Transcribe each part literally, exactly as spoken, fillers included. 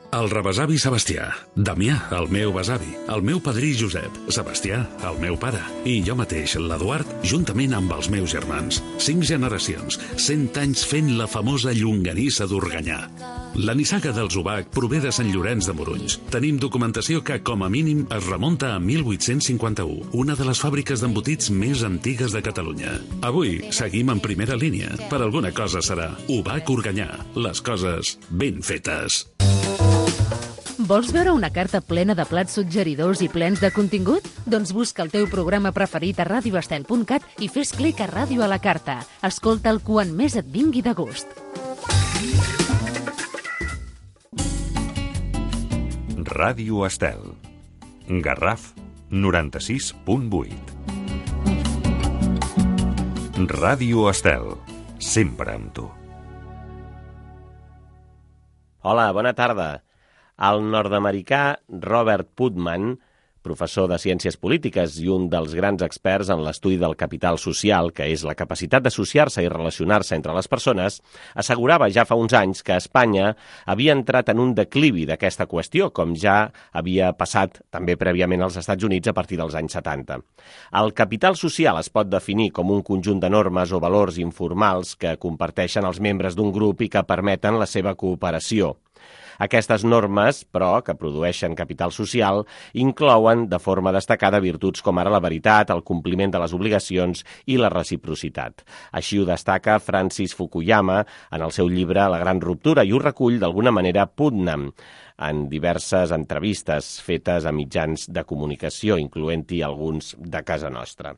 El rebesavi Sebastià, Damià, el meu besavi, el meu padrí Josep, Sebastià, el meu pare, i jo mateix, l'Eduard, juntament amb els meus germans. Cinc generacions, cent anys fent la famosa llonganissa d'Organyà. La nissaga dels Ubac prové de Sant Llorenç de Morunys. Tenim documentació que, com a mínim, es remunta a mil vuit-cents cinquanta-u, una de les fàbriques d'embotits més antigues de Catalunya. Avui seguim en primera línia. Per alguna cosa serà Ubac Organyà. Les coses ben fetes. Vols veure una carta plena de plats suggeridors i plens de contingut? Doncs busca el teu programa preferit a radio estel punt cat i fes clic a Ràdio a la Carta. Escolta'l quan més et vingui de gust. Ràdio Estel. Garraf noranta-sis punt vuit. Ràdio Estel. Sempre amb tu. Hola, bona tarda. El nord-americà Robert Putnam, professor de Ciències Polítiques i un dels grans experts en l'estudi del capital social, que és la capacitat d'associar-se i relacionar-se entre les persones, assegurava ja fa uns anys que Espanya havia entrat en un declivi d'aquesta qüestió, com ja havia passat també prèviament als Estats Units a partir dels anys setanta. El capital social es pot definir com un conjunt de normes o valors informals que comparteixen els membres d'un grup i que permeten la seva cooperació. Aquestes normes, però, que produeixen capital social, inclouen de forma destacada virtuts com ara la veritat, el compliment de les obligacions i la reciprocitat. Així ho destaca Francis Fukuyama en el seu llibre La gran ruptura i ho recull d'alguna manera Putnam en diverses entrevistes fetes a mitjans de comunicació, incloent-hi alguns de casa nostra.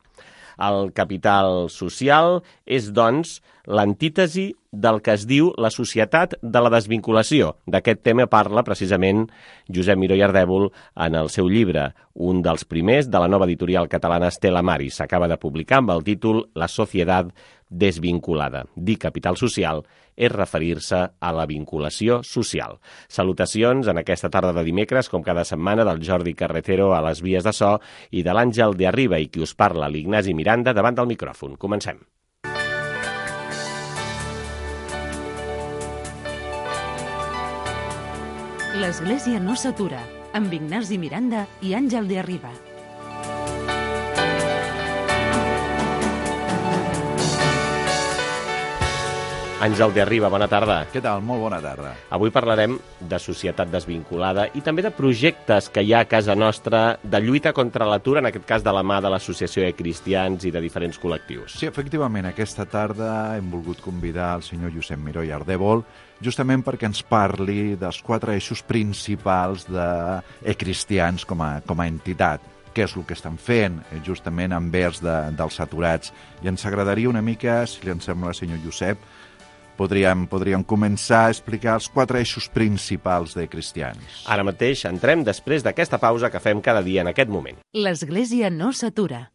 El capital social és, doncs, l'antítesi del que es diu la societat de la desvinculació. D'aquest tema parla precisament Josep Miró i Ardèvol en el seu llibre, un dels primers de la nova editorial catalana Stella Maris. S'acaba de publicar amb el títol La societat desvinculada. Dir capital social és referir-se a la vinculació social. Salutacions en aquesta tarda de dimecres, com cada setmana, del Jordi Carretero a les vies de so i de l'Àngel de Arriba i qui us parla, l'Ignasi Miranda, davant del micròfon. Comencem. L'Església no s'atura, amb Ignasi Miranda i Àngel de Arriba. Àngel de Arriba, bona tarda. Què tal? Molt bona tarda. Avui parlarem de societat desvinculada i també de projectes que hi ha a casa nostra de lluita contra l'atur, en aquest cas de la mà de l'Associació de Cristians i de diferents col·lectius. Sí, efectivament, aquesta tarda hem volgut convidar el senyor Josep Miró i Ardèvol justament perquè ens parli dels quatre eixos principals de Cristians com a, com a entitat. Què és el que estan fent justament envers de, dels aturats. I ens agradaria una mica, si li en sembla, senyor Josep, Podríem, podríem començar a explicar els quatre eixos principals de Cristians. Ara mateix entrem després d'aquesta pausa que fem cada dia en aquest moment. L'Església no s'atura.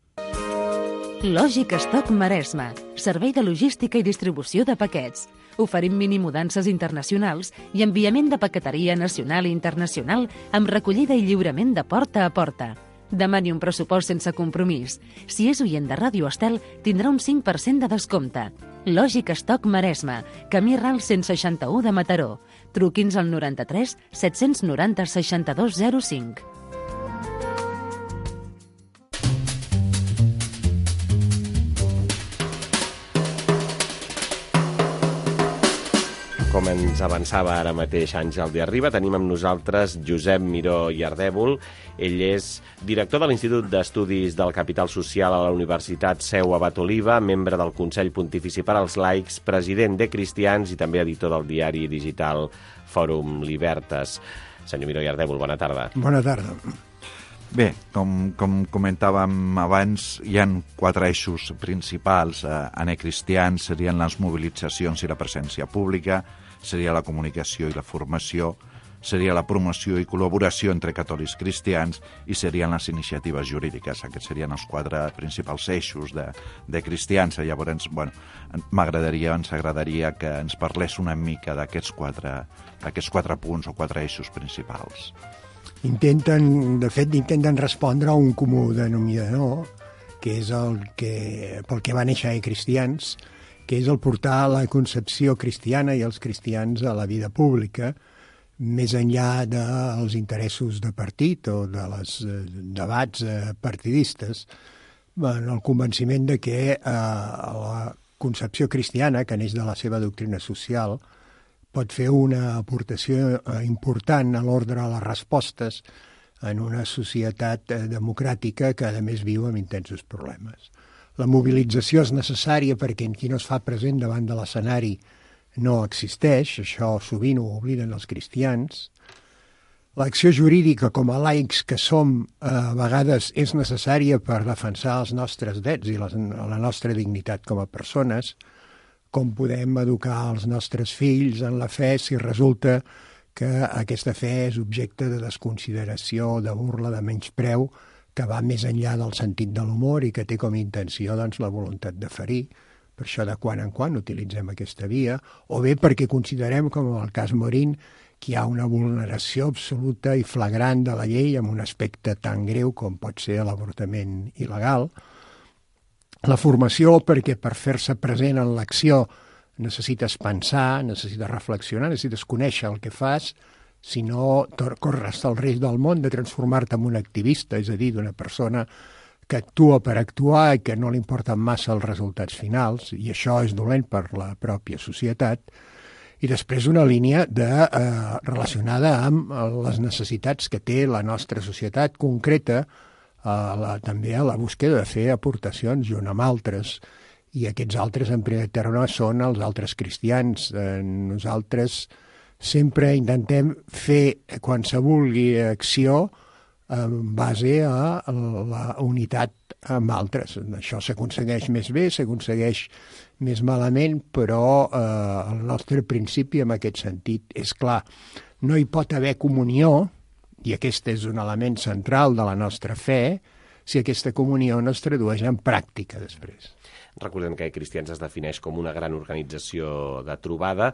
Lògic Stock Maresme, servei de logística i distribució de paquets. Oferim minimudances internacionals i enviament de paqueteria nacional i internacional amb recollida i lliurament de porta a porta. Demani un pressupost sense compromís. Si és oient de Ràdio Estel, tindrà un cinc per cent de descompte. Lògic Stock Maresme, camí Ral cent seixanta-u de Mataró. Truqui'ns al noranta-tres set-cents noranta seixanta-dos zero cinc. Com ens avançava ara mateix Àngel de Arriba, tenim amb nosaltres Josep Miró i Ardèvol. Ell és director de l'Institut d'Estudis del Capital Social a la Universitat Seu Abat Oliva, membre del Consell Pontifici per als Laics, president de Cristians i també editor del diari digital Fòrum Libertas. Senyor Miró i Ardèvol, bona tarda. Bona tarda. Bé, com, com comentàvem abans, hi ha quatre eixos principals eh, en Cristians, serien les mobilitzacions i la presència pública, seria la comunicació i la formació, seria la promoció i col·laboració entre catòlics cristians i serien les iniciatives jurídiques. Aquests serien els quatre principals eixos de, de Cristians. Llavors, bueno, m'agradaria, ens agradaria que ens parlés una mica d'aquests quatre, d'aquests quatre punts o quatre eixos principals. Intenten, de fet, intenten respondre a un comú denominador, que és el que, pel que va néixer a Cristians, que és el portar la concepció cristiana i els cristians a la vida pública, més enllà dels interessos de partit o de les eh, debats eh, partidistes, en el convenciment de que eh, la concepció cristiana, que neix de la seva doctrina social, pot fer una aportació eh, important a l'ordre de les respostes en una societat eh, democràtica que, a més, viu amb intensos problemes. La mobilització és necessària perquè qui no es fa present davant de l'escenari no existeix, això sovint ho obliden els cristians. L'acció jurídica, com a laics que som, eh, a vegades és necessària per defensar els nostres drets i les, la nostra dignitat com a persones. Com podem educar els nostres fills en la fe si resulta que aquesta fe és objecte de desconsideració, de burla, de menyspreu, que va més enllà del sentit de l'humor i que té com a intenció doncs, la voluntat de ferir. Per això de quan en quan utilitzem aquesta via, o bé perquè considerem, com en el cas Morín, que hi ha una vulneració absoluta i flagrant de la llei amb un aspecte tan greu com pot ser l'avortament il·legal. La formació, perquè per fer-se present en l'acció necessites pensar, necessites reflexionar, necessites conèixer el que fas, si no corres el risc del món de transformar-te en un activista, és a dir, d'una persona que actua per actuar i que no li importen massa els resultats finals, i això és dolent per la pròpia societat. I després una línia de, eh, relacionada amb les necessitats que té la nostra societat concreta, eh, la, també a la búsqueda de fer aportacions junt amb altres, i aquests altres en primer terme són els altres cristians. Eh, nosaltres sempre intentem fer qualsevol acció en base a la unitat amb altres. Això s'aconsegueix més bé, s'aconsegueix més malament, però eh, el nostre principi en aquest sentit és clar. No hi pot haver comunió, i aquest és un element central de la nostra fe, si aquesta comunió no es tradueix en pràctica després. Recordem que Cristians es defineix com una gran organització de trobada.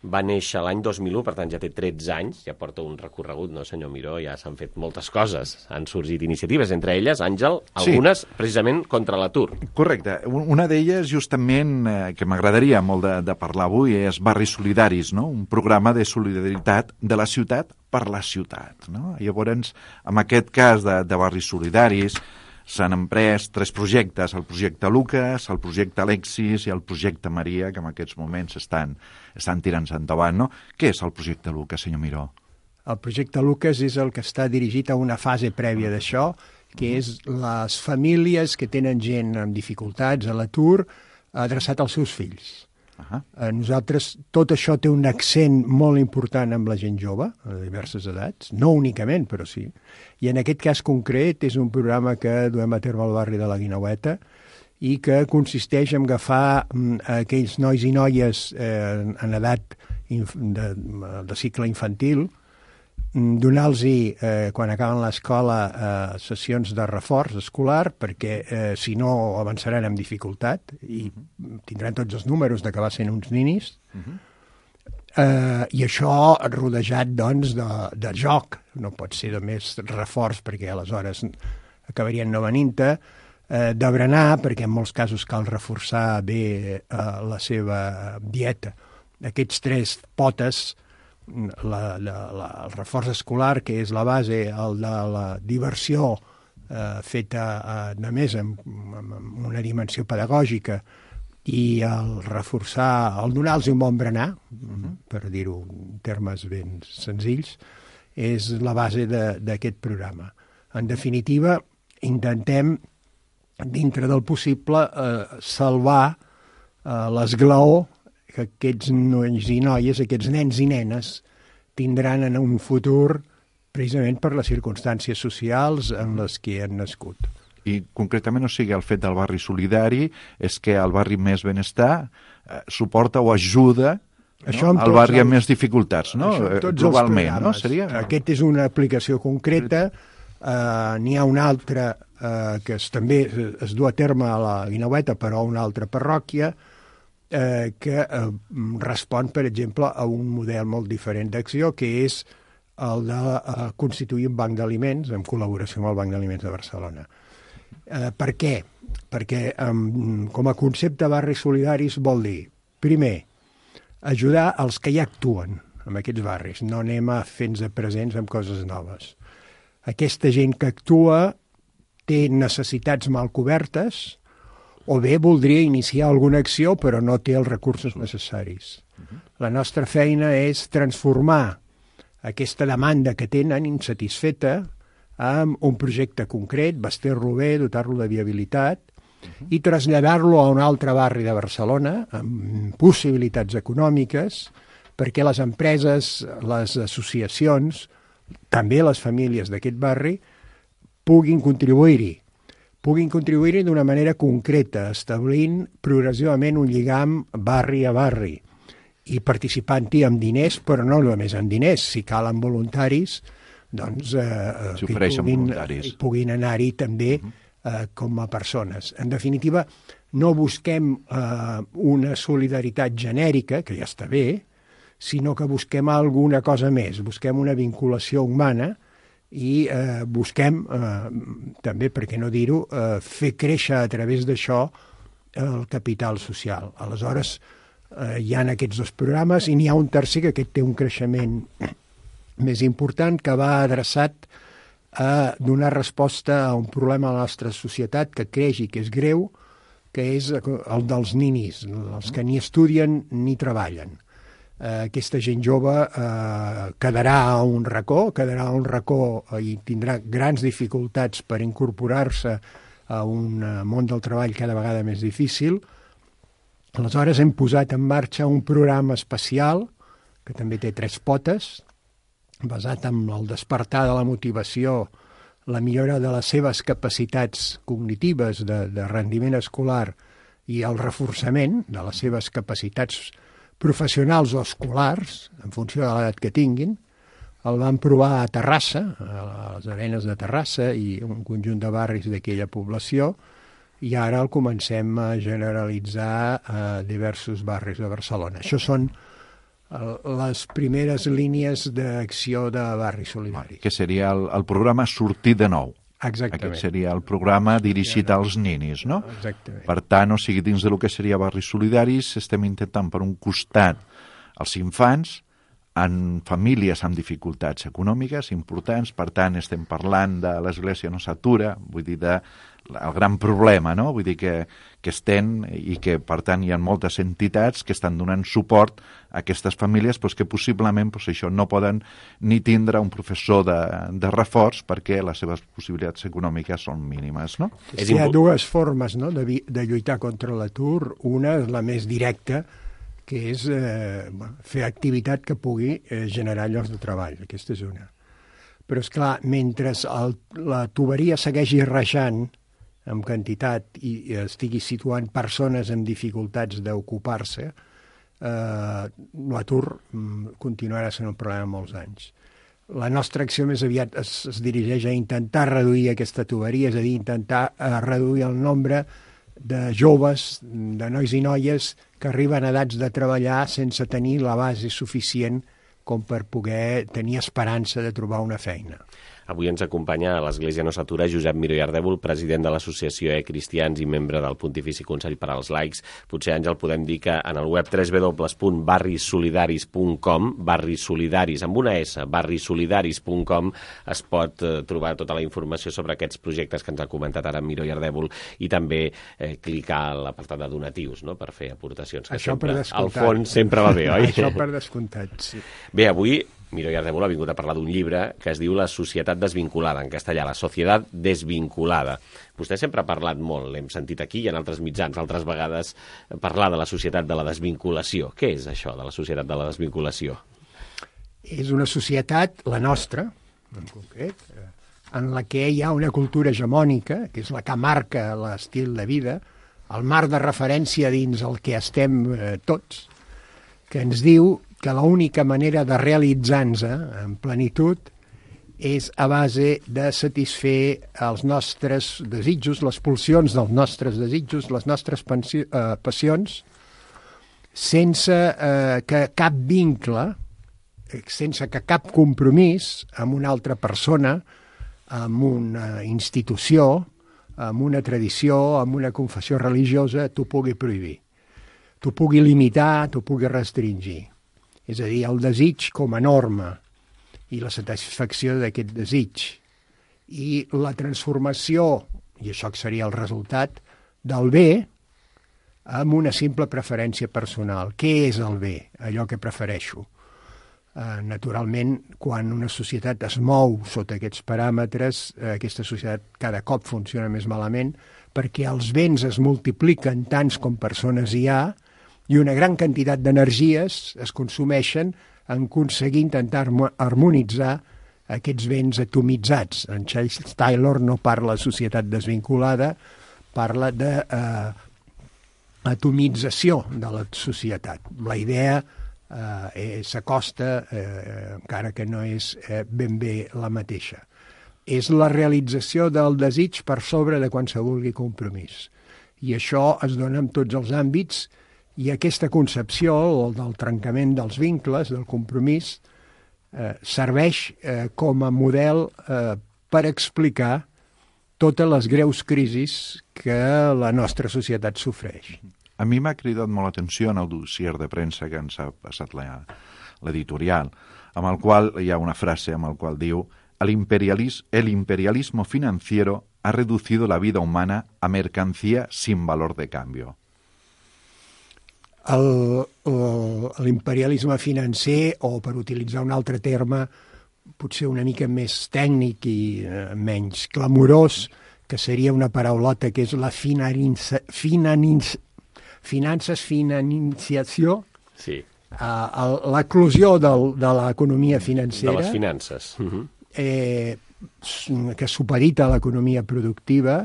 Va néixer l'any dos mil u, per tant ja té tretze anys, ja porta un recorregut, no, senyor Miró? Ja s'han fet moltes coses, han sorgit iniciatives, entre elles, Àngel, algunes sí. Precisament contra l'atur. Correcte. Una d'elles, justament, eh, que m'agradaria molt de, de parlar avui, és Barris Solidaris, no? Un programa de solidaritat de la ciutat per la ciutat, no? Llavors, en aquest cas de, de Barris Solidaris, s'han emprès tres projectes, el projecte Lucas, el projecte Alexis i el projecte Maria, que en aquests moments estan, estan tirant-se endavant, no? Què és el projecte Lucas, senyor Miró? El projecte Lucas és el que està dirigit a una fase prèvia d'això, que és les famílies que tenen gent amb dificultats a l'atur adreçat als seus fills. Uh-huh. Nosaltres, tot això té un accent molt important amb la gent jove, a diverses edats, no únicament, però sí. I en aquest cas concret és un programa que duem a terme al barri de la Guineueta i que consisteix en agafar mm, aquells nois i noies eh, en edat de, de cicle infantil, donar-los, eh, quan acaben l'escola, eh, sessions de reforç escolar, perquè eh, si no avançaran amb dificultat i tindran tots els números d'acabar sent uns ninis. Uh-huh. eh, I això rodejat, doncs, de, de joc. No pot ser de més reforç, perquè aleshores acabarien no venint-te, eh, de berenar, perquè en molts casos cal reforçar bé eh, la seva dieta. Aquests tres potes, La, la, la, el reforç escolar, que és la base, el de la diversió eh, feta eh, només amb, amb una dimensió pedagògica, i el reforçar, el donar-los un bon berenar, uh-huh. per dir-ho en termes ben senzills, és la base d'aquest programa. En definitiva, intentem, dintre del possible, eh, salvar eh, l'esglaó que aquests nois i noies, aquests nens i nenes, tindran en un futur precisament per les circumstàncies socials en les que han nascut. I concretament, o sigui, el fet del barri solidari és que el barri més benestar eh, suporta o ajuda, no? El barri amb més dificultats, no? Globalment, no? Seria... Aquest és una aplicació concreta, eh, n'hi ha una altra eh, que es, també es du a terme a la Guineueta, però a una altra parròquia, Eh, que eh, respon, per exemple, a un model molt diferent d'acció, que és el de eh, constituir un banc d'aliments en col·laboració amb el Banc d'Aliments de Barcelona. Eh, per què? Perquè eh, com a concepte barris solidaris vol dir, primer, ajudar els que ja actuen, en aquests barris, no anem a fer-nos presents amb coses noves. Aquesta gent que actua té necessitats mal cobertes o bé voldria iniciar alguna acció però no té els recursos necessaris. La nostra feina és transformar aquesta demanda que tenen insatisfeta amb un projecte concret, vestir-lo bé, dotar-lo de viabilitat i traslladar-lo a un altre barri de Barcelona amb possibilitats econòmiques perquè les empreses, les associacions, també les famílies d'aquest barri puguin contribuir-hi. puguin contribuir-hi d'una manera concreta, establint progressivament un lligam barri a barri i participant-hi amb diners, però no només amb diners, si calen voluntaris, doncs eh, si que hi puguin, voluntaris. puguin anar-hi també eh, com a persones. En definitiva, no busquem eh, una solidaritat genèrica, que ja està bé, sinó que busquem alguna cosa més, busquem una vinculació humana i eh, busquem, eh, també, per què no dir-ho, eh, fer créixer a través d'això el capital social. Aleshores, eh, hi ha aquests dos programes i n'hi ha un tercer que aquest té un creixement més important que va adreçat a donar resposta a un problema a la nostra societat que creix i que és greu, que és el dels ninis, els que ni estudien ni treballen. Eh, aquesta gent jove eh, quedarà a un racó, quedarà a un racó i tindrà grans dificultats per incorporar-se a un món del treball cada vegada més difícil. Aleshores hem posat en marxa un programa especial, que també té tres potes, basat en el despertar de la motivació, la millora de les seves capacitats cognitives de, de rendiment escolar i el reforçament de les seves capacitats professionals o escolars, en funció de l'edat que tinguin. El van provar a Terrassa, a les Arenes de Terrassa i un conjunt de barris d'aquella població, i ara el comencem a generalitzar a diversos barris de Barcelona. Això són les primeres línies d'acció de barris solidaris. Que seria el, el programa Sortir de Nou. Exactament. Aquest seria el programa dirigit als ninis, no? Exactament. Per tant, o sigui, dins del que seria barris solidaris, estem intentant, per un costat, els infants en famílies amb dificultats econòmiques importants, per tant, estem parlant de l'Església no s'atura, vull dir, de el gran problema, no? Vull dir que, que estem i que, per tant, hi ha moltes entitats que estan donant suport a aquestes famílies doncs, que possiblement doncs, això no poden ni tindre un professor de, de reforç perquè les seves possibilitats econòmiques són mínimes, no? Hi ha dues formes, no?, de, de lluitar contra l'atur. Una és la més directa, que és eh, fer activitat que pugui eh, generar llocs de treball. Aquesta és una. Però, és clar, mentre el, la tuberia segueixi rajant amb quantitat i estigui situant persones amb dificultats d'ocupar-se, eh, l'atur continuarà sent un problema molts anys. La nostra acció més aviat es, es dirigeix a intentar reduir aquesta tuberia, és a dir, intentar eh, reduir el nombre de joves, de nois i noies que arriben a edats de treballar sense tenir la base suficient com per poder tenir esperança de trobar una feina. Avui ens acompanya a l'Església no s'atura Josep Miró i Ardèvol, president de l'Associació E-Cristians i membre del Pontifici Consell per als Laics. Potser, Àngel, podem dir que en el web w w w punt barris solidaris punt com, barris solidaris amb una S, barris solidaris punt com, es pot eh, trobar tota la informació sobre aquests projectes que ens ha comentat ara Miró i Ardèvol i també eh, clicar a l'apartat de donatius, no?, per fer aportacions. Que Això sempre, per descomptat. al fons sempre va bé, oi? Això per descomptat, sí. Bé, avui Miró i Ardèvol ha vingut a parlar d'un llibre que es diu La societat desvinculada, en castellà, La societat desvinculada. Vostè sempre ha parlat molt, l'hem sentit aquí i en altres mitjans, altres vegades parlar de la societat de la desvinculació. Què és això de la societat de la desvinculació? És una societat, la nostra, en concret, en la que hi ha una cultura hegemònica, que és la que marca l'estil de vida, el marc de referència dins el que estem eh, tots, que ens diu que l'única manera de realitzar-nos en plenitud és a base de satisfer els nostres desitjos, les pulsions dels nostres desitjos, les nostres pensi- eh, passions, sense eh, que cap vincle, sense que cap compromís amb una altra persona, amb una institució, amb una tradició, amb una confessió religiosa, t'ho pugui prohibir, t'ho pugui limitar, t'ho pugui restringir. És a dir, el desig com a norma i la satisfacció d'aquest desig. I la transformació, i això seria el resultat, del bé amb una simple preferència personal. Què és el bé? Allò que prefereixo. Uh, naturalment, quan una societat es mou sota aquests paràmetres, uh, aquesta societat cada cop funciona més malament perquè els béns es multipliquen tants com persones hi ha i una gran quantitat d'energies es consumeixen en aconseguir intentar harmonitzar aquests béns atomitzats. En Charles Taylor no parla de societat desvinculada, parla de uh, atomització de la societat. La idea eh, s'acosta, eh, encara que no és eh, ben bé la mateixa. És la realització del desig per sobre de qualsevol compromís. I això es dona en tots els àmbits i aquesta concepció del trencament dels vincles, del compromís, eh, serveix eh, com a model eh, per explicar totes les greus crisis que la nostra societat sofreix. A mi m'ha cridat molt l'atenció en el dossier de premsa que ens ha passat l'editorial, amb el qual hi ha una frase amb el qual diu el, imperialis, el imperialismo financiero ha reducido la vida humana a mercancía sin valor de cambio. L'imperialisme financer, o per utilitzar un altre terme potser una mica més tècnic i eh, menys clamorós, que seria una paraulota que és la finança, finanins, finances, financiació, sí. uh, l'eclusió de l'economia financera, de les finances, uh-huh. eh, que supedita a l'economia productiva,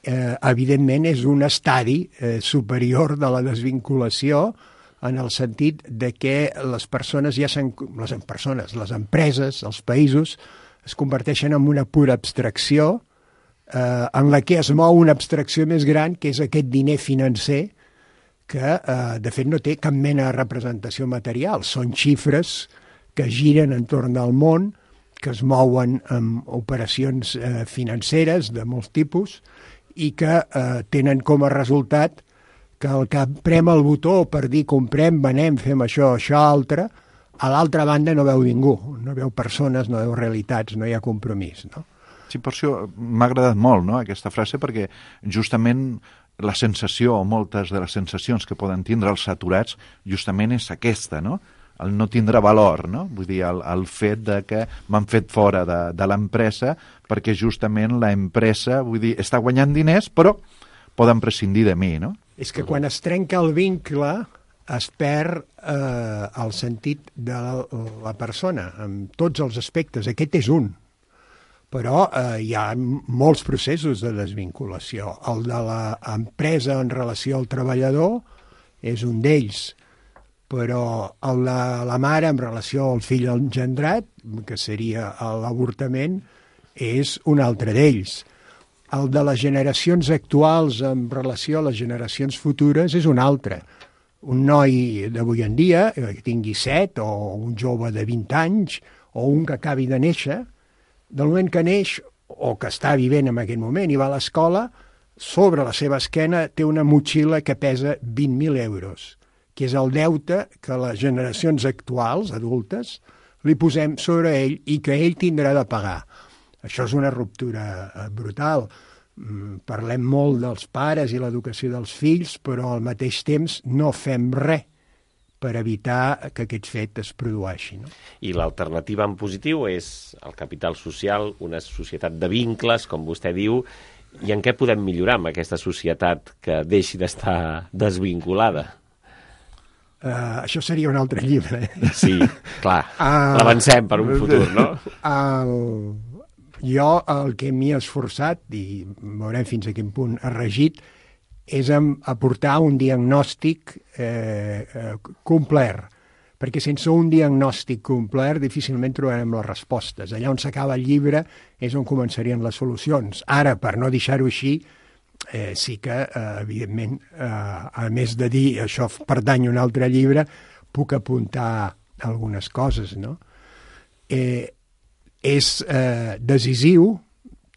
eh, evidentment és un estadi eh, superior de la desvinculació, en el sentit de que les persones ja s'han... Les persones, les empreses, els països, es converteixen en una pura abstracció eh, en la que es mou una abstracció més gran, que és aquest diner financer, que eh, de fet no té cap mena de representació material. Són xifres que giren entorn del món, que es mouen amb operacions eh, financeres de molts tipus i que eh, tenen com a resultat que el que prem el botó per dir comprem, venem, fem això, això, altre, a l'altra banda no veu ningú, no veu persones, no veu realitats, no hi ha compromís, no? Sí, per això m'ha agradat molt, no?, aquesta frase, perquè justament la sensació, o moltes de les sensacions que poden tindre els saturats, justament és aquesta, no?, el no tindre valor, no?, vull dir, el, el fet de que m'han fet fora de, de l'empresa perquè justament l'empresa, vull dir, està guanyant diners, però poden prescindir de mi, no? És que quan es trenca el vincle es perd eh, el sentit de la, la persona, en tots els aspectes. Aquest és un. Però eh, hi ha molts processos de desvinculació. El de l'empresa en relació al treballador és un d'ells, però el de la mare en relació al fill engendrat, que seria l'avortament, és un altre d'ells. El de les generacions actuals en relació a les generacions futures és un altre. Un noi d'avui en dia, que tingui set, o un jove de vint anys, o un que acabi de néixer, del moment que neix, o que està vivint en aquest moment i va a l'escola, sobre la seva esquena té una motxilla que pesa vint mil euros, que és el deute que les generacions actuals, adultes, li posem sobre ell i que ell tindrà de pagar. Això és una ruptura brutal. Parlem molt dels pares i l'educació dels fills, però al mateix temps no fem res per evitar que aquest fet es produeixi, no? I l'alternativa en positiu és el capital social, una societat de vincles, com vostè diu, i en què podem millorar amb aquesta societat que deixi d'estar desvinculada? Uh, això seria un altre llibre. Eh? Sí, clar, uh, l'avancem per un futur, no? El... Jo el que m'hi he esforçat, i veurem fins a quin punt ha regit, és aportar un diagnòstic eh, eh, complet, perquè sense un diagnòstic complet difícilment trobarem les respostes. Allà on s'acaba el llibre és on començarien les solucions. Ara, per no deixar-ho així, eh, sí que, eh, evidentment, eh, a més de dir això pertany a un altre llibre, puc apuntar algunes coses, no? Eh, és eh, decisiu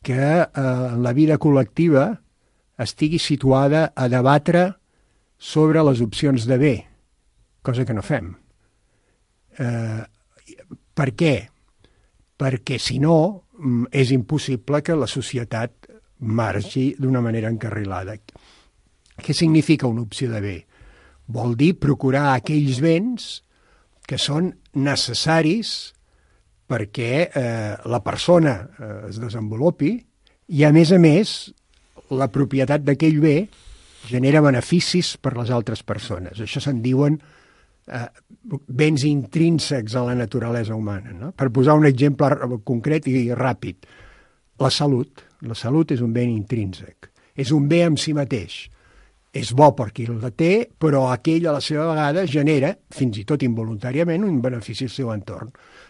que eh, en la vida col·lectiva estigui situada a debatre sobre les opcions de bé, cosa que no fem. Eh, per què? Perquè, si no, és impossible que la societat marxi d'una manera encarrilada. Què significa una opció de bé? Vol dir procurar aquells béns que són necessaris perquè eh, la persona eh, es desenvolupi i, a més a més, la propietat d'aquell bé genera beneficis per les altres persones. Això se'n diuen eh, béns intrínsecs a la naturalesa humana. No? Per posar un exemple concret i ràpid, la salut. La salut és un bé intrínsec. És un bé en si mateix. És bo per qui la té, però aquell a la seva vegada genera, fins i tot involuntàriament, un benefici al seu entorn.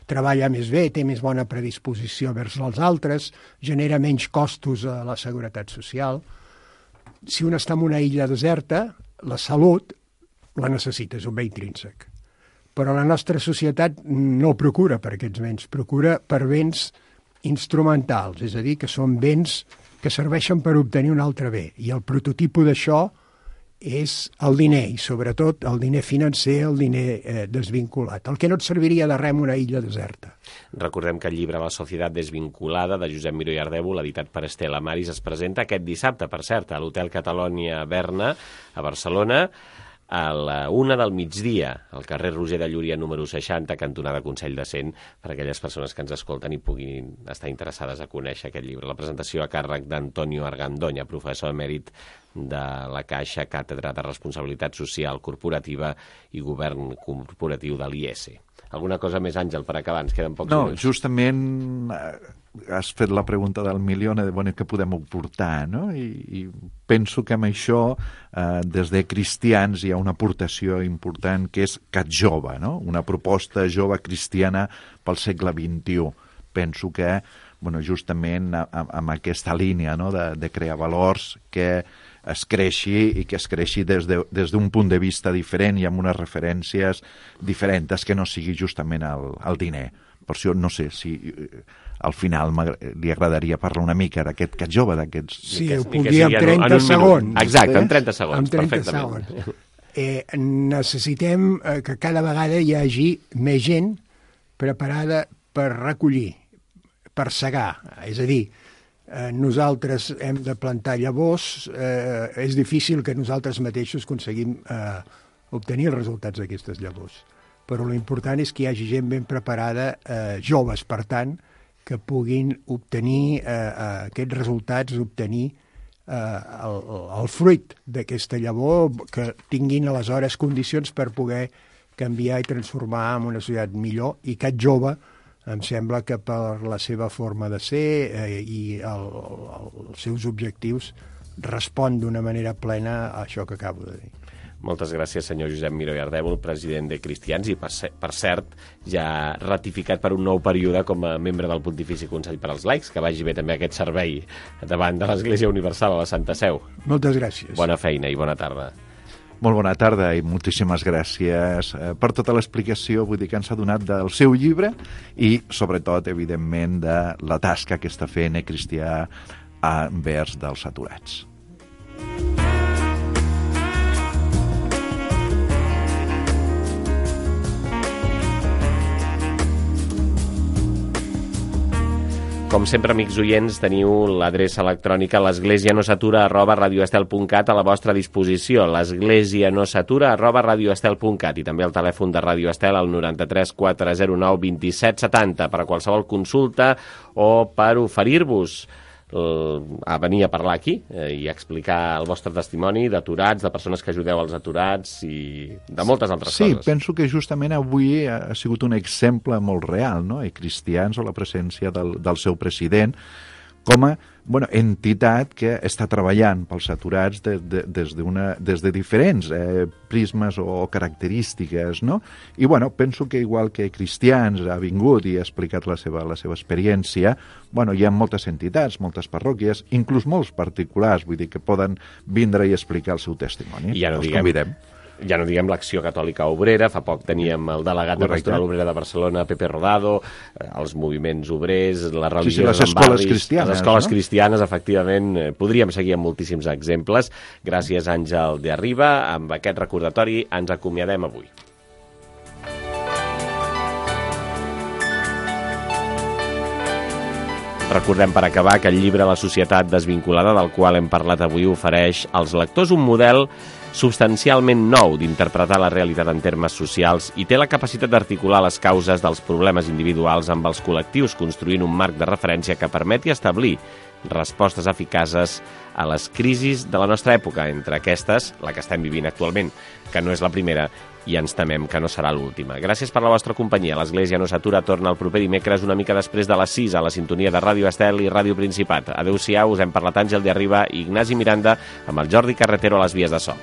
Treballa més bé, té més bona predisposició vers els altres, genera menys costos a la seguretat social. Si un està en una illa deserta, la salut la necessita, és un bé intrínsec. Però la nostra societat no procura per aquests béns, procura per béns instrumentals, és a dir, que són béns que serveixen per obtenir un altre bé. I el prototipus d'això és el diner, i sobretot el diner financer, el diner eh, desvinculat, el que no et serviria de res en una illa deserta. Recordem que el llibre La societat desvinculada, de Josep Miró i Ardèvol, editat per Estela Maris, es presenta aquest dissabte, per cert, a l'Hotel Catalonia Berna, a Barcelona, a la una del migdia, al carrer Roger de Llúria, número seixanta, cantonada Consell de Cent, per a aquelles persones que ens escolten i puguin estar interessades a conèixer aquest llibre. La presentació a càrrec d'Antonio Argandoña, professor emèrit de la Caixa, Càtedra de Responsabilitat Social Corporativa i Govern Corporatiu de l'I E S. Alguna cosa més, Àngel, per acabar? Ens queden pocs no, minuts. No, justament has fet la pregunta del milió de bueno, què podem aportar, no? I, i penso que amb això, eh, des de cristians, hi ha una aportació important que és Cat Jove, no? Una proposta jove cristiana pel segle vint-i-u. Penso que, bueno, justament amb aquesta línia, no? de, de crear valors, que es creixi i que es creixi des de, des d'un punt de vista diferent i amb unes referències diferents, que no sigui justament el, el diner. Per això no sé si al final li agradaria parlar una mica d'aquest Cat Jove, d'aquests... Sí, ho puc dir en trenta segons. Exacte, en trenta segons, en trenta perfectament. Segons. Eh, necessitem eh, que cada vegada hi hagi més gent preparada per recollir, per segar. És a dir, eh, nosaltres hem de plantar llavors, eh, és difícil que nosaltres mateixos aconseguim eh, obtenir els resultats d'aquestes llavors. Però l'important és que hi hagi gent ben preparada, eh, joves, per tant, que puguin obtenir eh, aquests resultats, obtenir eh, el, el fruit d'aquesta llavor, que tinguin aleshores condicions per poder canviar i transformar en una societat millor, i Cat Jove em sembla que per la seva forma de ser eh, i el, el, els seus objectius respon d'una manera plena a això que acabo de dir. Moltes gràcies, senyor Josep Miró i Ardèvol, president de Cristians, i per, per cert, ja ratificat per un nou període com a membre del Pontifici Consell per als Laics, que vagi bé també aquest servei davant de l'Església Universal a la Santa Seu. Moltes gràcies. Bona feina i bona tarda. Molt bona tarda i moltíssimes gràcies per tota l'explicació, vull dir que ens ha donat del seu llibre i, sobretot, evidentment, de la tasca que està fent Cristià envers dels aturats. Com sempre, amics oients, teniu l'adreça electrònica l'esglésianosatura arroba radioestel punt cat a la vostra disposició, l'esglésianosatura arroba radioestel punt cat, i també el telèfon de Radio Estel al noranta-tres quatre zero nou vint set setanta per a qualsevol consulta o per oferir-vos a venir a parlar aquí eh, i explicar el vostre testimoni d'aturats, de persones que ajudeu als aturats i de moltes altres sí, coses. Sí, penso que justament avui ha sigut un exemple molt real, no? I Cristians, o la presència del, del seu president, com a bueno, entitat que està treballant pels aturats de, de, des, d'una, des de diferents eh, prismes o característiques, no? I bueno, penso que igual que Cristians ha vingut i ha explicat la seva, la seva experiència, bueno, hi ha moltes entitats, moltes parròquies, inclús molts particulars, vull dir, que poden vindre i explicar el seu testimoni. I ja no Els diguem... convidem. Ja no diguem l'Acció Catòlica Obrera, fa poc teníem el delegat de Pastoral Obrera de Barcelona, Pepe Rodado, els moviments obrers, les religions sí, sí, les escoles barris, cristianes, les escoles no? cristianes, efectivament, podríem seguir amb moltíssims exemples. Gràcies, Àngel de Arriba. Amb aquest recordatori ens acomiadem avui. Recordem per acabar que el llibre La societat desvinculada, del qual hem parlat avui, ofereix als lectors un model substancialment nou d'interpretar la realitat en termes socials i té la capacitat d'articular les causes dels problemes individuals amb els col·lectius, construint un marc de referència que permeti establir respostes eficaces a les crisis de la nostra època, entre aquestes, la que estem vivint actualment, que no és la primera i ens temem que no serà l'última. Gràcies per la vostra companyia. L'Església no s'atura torna el proper dimecres una mica després de les sis a la sintonia de Ràdio Estel i Ràdio Principat. Adéu-siau, us hem parlat Àngel de Arriba i Ignasi Miranda amb el Jordi Carretero a les vies de so.